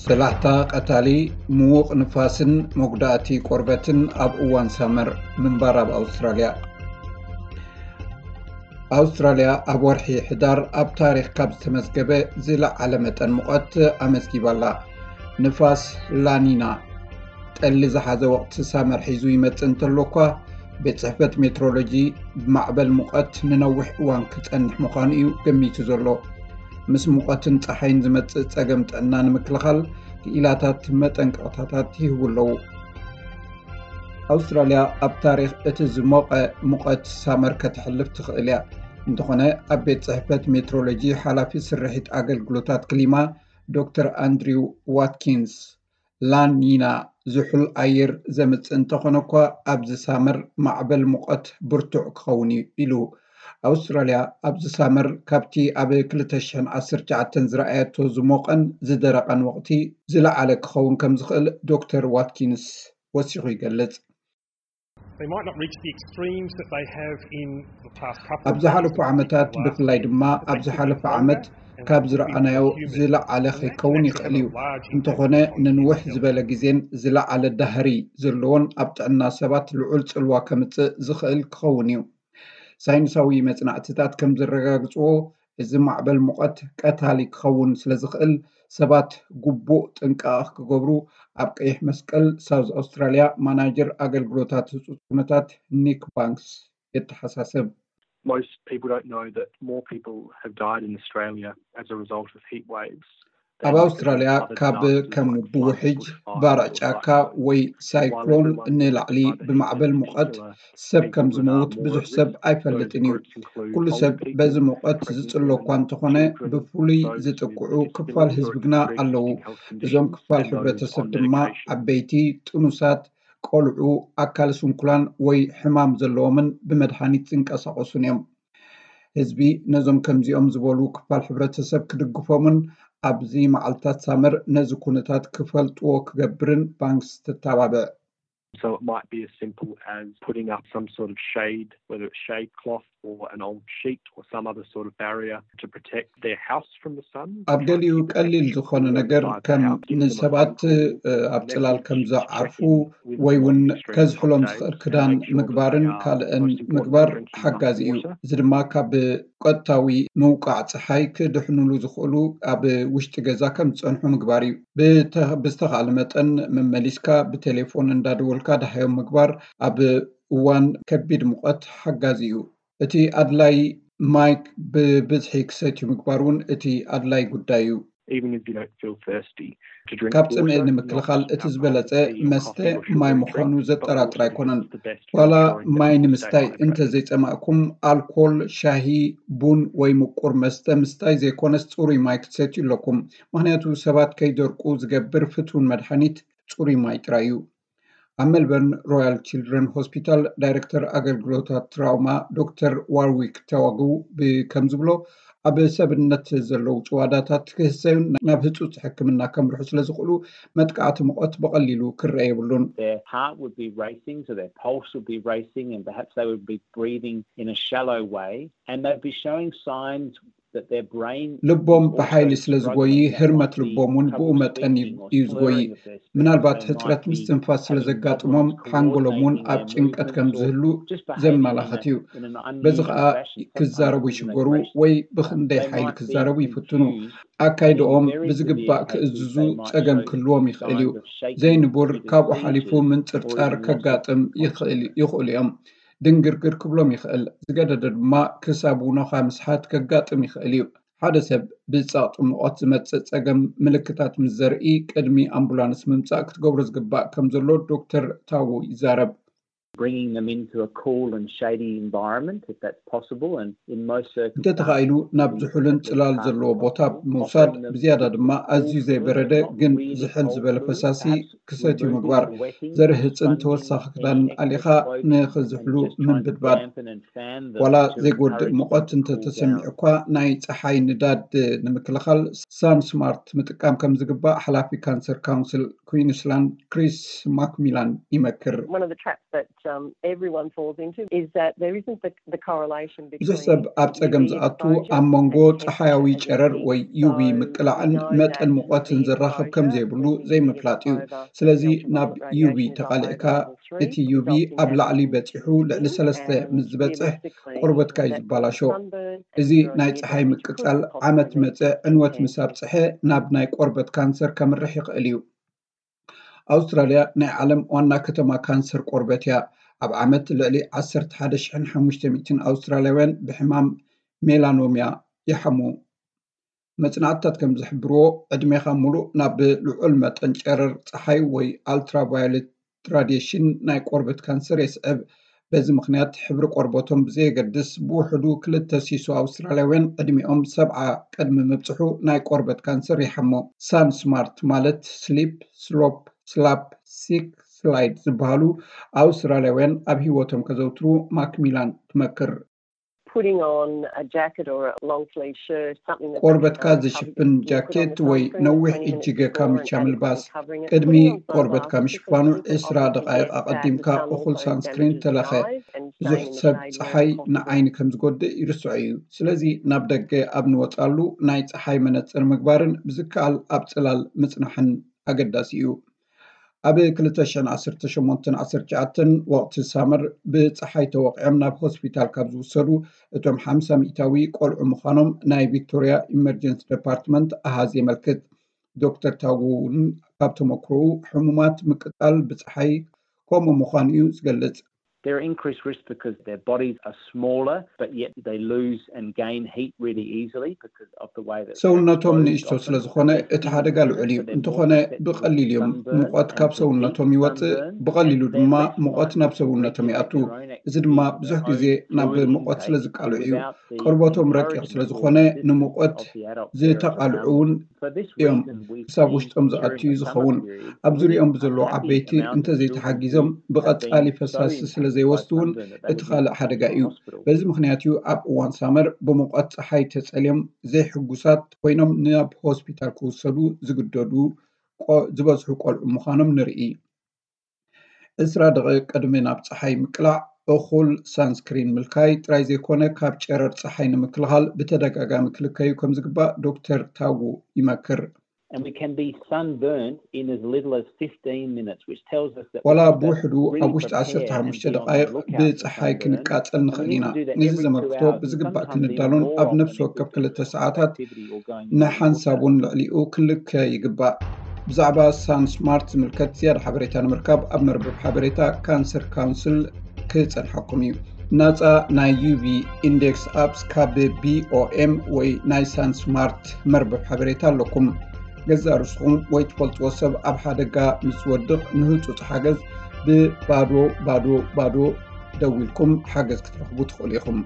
ሰላሕታ ቀታሊ፣ ምዉቕ ንፋስን መጉዳእቲ ቆርበትን ኣብ እዋን ሳመር ምንባር ኣብ ኣውስትራልያ። ኣውስትራልያ ኣብ ወርሒ ሕዳር ኣብ ታሪኽ ካብ ዝተመዝገበ ዝለዓለ መጠን ሙቐት ኣመዝጊባላ። ንፋስ ላኒና ጠሊ ዝሓዘ ወቕቲ ሳመር ሒዙ ይመጽእ እንተሎ እኳ፣ ቤት ጽሕፈት ሜትሮሎጂ ማዕበል ሙቐት ንነዊሕ እዋን ክጸንሕ ምዃኑ እዩ ገሚቱ ዘሎ። ምስ ሙቐትን ጸሓይን ዝመጽእ ጸገም ጥዕና ንምክልኻል ክኢላታት መጠንቀቕታታት ይህቡ ኣለዉ። ኣውስትራልያ ኣብ ታሪኽ እቲ ዝሞቐ ሙቐት ሳመር ከተሕልፍ ትኽእል እያ። እንተኾነ፣ ኣብ ቤት ጽሕፈት ሜትሮሎጂ ሓላፊ ስርሒት ኣገልግሎታት ክሊማ ዶክተር ኣንድሪው ዋትኪንስ፣ ላኒና ዝሑል ኣየር ዘምጽእ እንተኾነ እኳ፣ ኣብዚ ሳመር ማዕበል ሙቐት ብርቱዕ ክኸውን እዩ ኢሉ። ኣውስትራልያ ኣብዚ ሳመር ካብቲ ኣብ ክልተ ሽሕን ዓሰርተ ትሽዓተን ዝረኣየቶ ዝሞቐን ዝደረቐን ወቕቲ ዝለዓለ ክኸውን ከም ዝኽእል ዶክተር ዋትኪንስ ወሲኹ ይገልጽ። They might not reach the extremes that they have in the past couple ኣብ of ዝሓለፉ years, ዓመታት፣ ብፍላይ ድማ ኣብ ዝሓለፈ ዓመት ካብ ዝረኣናዮ ዝለዓለ ከይከውን ይኽእል እዩ። እንተኾነ፣ ንንውሕ ዝበለ ግዜን ዝለዓለ ዳህሪ ዘለዎን ኣብ ጥዕና ሰባት ልዑል ጽልዋ ከምጽእ ዝኽእል ክኸውን እዩ። ሳይንሳዊ መጽናዕትታት ከም ዘረጋግጽዎ፣ እዚ ማዕበል ሙቐት ቀታሊ ክኸውን ስለ ዝኽእል፣ ሰባት ግቡእ ጥንቃቐ ክገብሩ ኣብ ቀይሕ መስቀል ሳውዝ ኣውስትራልያ ማናጀር ኣገልግሎታት ህጹጽ ኩነታት ኒክ ባንክስ የተሓሳስብ። Most people don't know that more people have died in Australia as a result of heat waves. ኣብ ኣውስትራልያ ካብ ከም ብውሕጅ፣ ባርዕ ጫካ ወይ ሳይክሎን ንላዕሊ ብማዕበል ሙቐት ሰብ ከም ዝመውት ብዙሕ ሰብ ኣይፈልጥን እዩ። ኩሉ ሰብ በዚ ሙቐት ዝጽሎ እኳ እንተኾነ፣ ብፍሉይ ዝጥቅዑ ክፋል ህዝቢ ግና ኣለዉ። እዞም ክፋል ሕብረተሰብ ድማ ዓበይቲ፣ ጥኑሳት፣ ቆልዑ፣ ኣካል ስንኩላን ወይ ሕማም ዘለዎምን ብመድሃኒት ዝንቀሳቐሱን እዮም። ህዝቢ ነዞም ከምዚኦም ዝበሉ ክፋል ሕብረተሰብ ክድግፎምን ኣብዚ መዓልታት ሳመር ነዚ ኩነታት ክፈልጥዎ ክገብርን ባንክስ ተተባብዕ። So it might be as simple as putting up some sort of shade, whether it's shade cloth or an old sheet or some other sort of barrier to protect their house from the sun. ኣብ ገሊኡ ቀሊል ዝኾነ ነገር ከም ንሰባት ኣብ ጽላል ከም ዝዓርፉ ወይ እውን ከዝሕሎም ዝኽእል ክዳን ምግባርን ካልእን ምግባር ሓጋዚ እዩ። እዚ ድማ ካብ ቀጥታዊ ምውቃዕ ጸሓይ ክድሕኑሉ ዝኽእሉ ኣብ ውሽጢ ገዛ ከም ዝጸንሑ ምግባር እዩ። ብዝተኻእለ መጠን መመሊስካ ብቴሌፎን እንዳደወልካ ደሃዮም ምግባር ኣብ እዋን ከቢድ ሙቐት ሓጋዚ እዩ። እቲ ኣድላይ ማይ ብብዝሒ ክሰትዩ ምግባር እውን እቲ ኣድላይ ጉዳይ እዩ። ካብ ጽምኢ ንምክልኻል እቲ ዝበለጸ መስተ ማይ ምዃኑ ዘጠራጥር ኣይኮነን። ዋላ ማይ ንምስታይ እንተዘይጸማእኩም፣ ኣልኮል፣ ሻሂ፣ ቡን ወይ ምቁር መስተ ምስታይ ዘይኮነስ፣ ጽሩይ ማይ ክትሰትዩ ኣለኩም። ምኽንያቱ፣ ሰባት ከይደርቁ ዝገብር ፍቱን መድሃኒት ጽሩይ ማይ ጥራይ እዩ። ኣብ ሜልበርን ሮያል ችልድረን ሆስፒታል ዳይረክተር ኣገልግሎታት ትራውማ ዶክተር ዋርዊክ ተዋግው ከምዝብሎ፣ ኣብ ሰብነት ዘለዉ ጭዋዳታት ክህሰዩን ናብ ህጹጽ ሕክምና ከምርሑ ስለ ዝኽእሉ፣ መጥቃዕቲ ሙቐት ብቐሊሉ ክረአ የብሉን። ልቦም ብሓይሊ ስለ ዝጎይ፣ ህርመት ልቦም እውን ብኡ መጠን እዩ ዝጎይ። ምናልባት ሕጽረት ምስትንፋስ ስለ ዘጋጥሞም፣ ሓንጎሎም እውን ኣብ ጭንቀት ከም ዝህሉ ዘመላኽት እዩ። በዚ ኸኣ ክዛረቡ ይሽገሩ ወይ ብኽንደይ ሓይሊ ክዛረቡ ይፍትኑ። ኣካይድኦም ብዝግባእ ክእዝዙ ጸገም ክህልዎም ይኽእል እዩ። ዘይንቡር ካብኡ ሓሊፉ ምንጽርጻር ከጋጥም ይኽእሉ እዮም። ድንግርግር ክብሎም ይኽእል። ዝገደደ ድማ ክሳብ ውኖኻ ምስሓት ከጋጥም ይኽእል እዩ። ሓደ ሰብ ብጸቕጢ ሙቐት ዝመጽእ ጸገም ምልክታት ምስ ዘርኢ፣ ቅድሚ ኣምቡላንስ ምምጻእ ክትገብሮ ዝግባእ ከም ዘሎ ዶክተር ታዎ ይዛረብ። Bringing them into a cool and shady environment, if that's possible, and in most circumstances, እንተተኻኢሉ ናብ ዝሑልን ጽላል ዘለዎ ቦታ ምውሳድ፣ ብዝያዳ ድማ ኣዝዩ ዘይበረደ ግን ዝሕል ዝበለ ፈሳሲ ክሰትዩ ምግባር፣ ዘርህጽን ተወሳኺ ክዳንን ኣሊኻ ንኽዝሕሉ ምንብድባድ። ዋላ ዘይጎድእ ሙቐት እንተተሰሚዑ እኳ፣ ናይ ጸሓይ ንዳድ ንምክልኻል ሳን ስማርት ምጥቃም ከም ዝግባእ ሓላፊ ካንሰር ካውንስል ኩዊንስላንድ ክሪስ ማክሚላን ይመክር። um, everyone falls into is that there isn't the, the correlation between ብዙሕ ሰብ ኣብ ጸገም ዝኣቱ ኣብ መንጎ ጸሓያዊ ጨረር ወይ ዩቪ ምቅላዕን መጠን ሙቐትን ዘራኽብ ከም ዘይብሉ ዘይምፍላጥ እዩ። ስለዚ ናብ ዩቪ ተቓሊዕካ እቲ ዩቪ ኣብ ላዕሊ በጺሑ ልዕሊ ሰለስተ ምስ ዝበጽሕ ቆርበትካ እዩ ዝበላሾ። እዚ ናይ ጸሓይ ምቅጻል ዓመት መጸ ዕንወት ምስ ኣብጽሐ ናብ ናይ ቆርበት ካንሰር ከምርሕ ይኽእል እዩ። ኣውስትራልያ ናይ ዓለም ዋና ከተማ ካንሰር ቆርበት እያ። ኣብ ዓመት ልዕሊ ዓሰርተ ሓደ ሽሕን ሓሙሽተ ሚእትን ኣውስትራልያውያን ብሕማም ሜላኖምያ ይሓሙ። መጽናዕትታት ከም ዝሕብርዎ ዕድሜኻ ሙሉእ ናብ ልዑል መጠን ጨረር ጸሓይ ወይ ኣልትራቫዮሌት ራዲሽን ናይ ቆርበት ካንሰር የስዕብ። በዚ ምኽንያት ሕብሪ ቆርበቶም ብዘየገድስ ብውሕዱ ክልተ ሲሶ ኣውስትራልያውያን ዕድሚኦም ሰብዓ ቅድሚ ምብጽሑ ናይ ቆርበት ካንሰር ይሓሞ። ሳን ስማርት ማለት ስሊፕ፣ ስሎፕ፣ ስላፕ፣ ሲክ፣ ስላይድ ዝበሃሉ ኣውስትራልያውያን ኣብ ህይወቶም ከዘውትሩ ማክሚላን ትመክር። putting on a jacket or a long sleeve shirt, something that ቆርበትካ ዝሽፍን ጃኬት ወይ ነዊሕ እጅገ ካምቻ ምልባስ። ቅድሚ ቆርበትካ ምሽፋኑ ዕስራ ደቃይቕ ኣቐዲምካ እኹል ሳንስክሪን ተለኸ። ብዙሕ ሰብ ጸሓይ ንዓይኒ ከም ዝጎድእ ይርስዖ እዩ። ስለዚ ናብ ደገ ኣብ ንወጻሉ ናይ ጸሓይ መነጽር ምግባርን ብዝከኣል ኣብ ጽላል ምጽናሕን ኣገዳሲ እዩ። ኣብ ክልተ ሽሕን ዓሰርተ ሸሞንተን ዓሰርተ ትሽዓተን ወቕቲ ሳመር ብጸሓይ ተወቒዖም ናብ ሆስፒታል ካብ ዝውሰዱ እቶም ሓምሳ ሚእታዊ ቆልዑ ምዃኖም ናይ ቪክቶርያ ኢመርጀንሲ ደፓርትመንት ኣሃዝ የመልክት። ዶክተር ታጉ እውን ካብ ተመክሮኡ ሕሙማት ምቅጻል ብጸሓይ ከምኡ ምዃኑ እዩ ዝገልጽ። They're increased risk because their bodies are smaller, but yet they lose and gain heat really easily because of the way that ሰውነቶም ንእሽቶ ስለ ዝኾነ እቲ ሓደጋ ልዑል እዩ። እንተኾነ ብቐሊል እዮም ሙቐት ካብ ሰውነቶም ይወጽእ፣ ብቐሊሉ ድማ ሙቐት ናብ ሰውነቶም ይኣቱ። እዚ ድማ ብዙሕ ግዜ ናብ ሙቐት ስለ ዝቃልዑ እዩ። ቆርበቶም ረቂቕ ስለ ዝኾነ ንሙቐት ዝተቓልዑ እውን እዮም። ክሳብ ውሽጦም ዝኣቱ እዩ ዝኸውን። ኣብ ዙሪኦም ብዘለዉ ዓበይቲ እንተዘይተሓጊዞም ብቐጻሊ ፈሳሲ ስለ ዘይወስዱ እውን እቲ ካልእ ሓደጋ እዩ። በዚ ምኽንያት እዩ ኣብ እዋን ሳመር ብሙቐት ጸሓይ ተጸልዮም ዘይሕጉሳት ኮይኖም ናብ ሆስፒታል ክውሰዱ ዝግደዱ ዝበዝሑ ቆልዑ ምዃኖም ንርኢ። ዕስራ ደቂቕ ቅድሚ ናብ ጸሓይ ምቅላዕ እኹል ሳንስክሪን ምልካይ ጥራይ ዘይኮነ ካብ ጨረር ጸሓይ ንምክልኻል ብተደጋጋሚ ክልከዩ ከም ዝግባእ ዶክተር ታጉ ይመክር። And we can be sunburned in as little as fifteen minutes, which tells us that ዋላ ብውሕዱ ኣብ ውሽጢ ዓሰርተ ሓሙሽተ ደቃይቕ ብጸሓይ ክንቃጸል ንኽእል ኢና። ነዚ ዘመልክቶ ብዝግባእ ክንዳሎን ኣብ ነፍሲ ወከፍ ክልተ ሰዓታት ንሓንሳብ እውን ልዕሊኡ ክልከ ይግባእ። ብዛዕባ ሳን ስማርት ዝምልከት ዝያዳ ሓበሬታ ንምርካብ ኣብ መርበብ ሓበሬታ ካንሰር ካውንስል ክጸንሐኩም እዩ። ናጻ ናይ ዩቪ ኢንዴክስ ኣፕስ ካብ ቢኦኤም ወይ ናይ ሳን ስማርት መርበብ ሓበሬታ ኣለኩም። ገዛእ ርስኹም ወይ ትፈልጥዎ ሰብ ኣብ ሓደጋ ምስ ዝወድቕ ንህጹጽ ሓገዝ ብባዶ ባዶ ባዶ ደዊልኩም ሓገዝ ክትረኽቡ ትኽእሉ ኢኹም።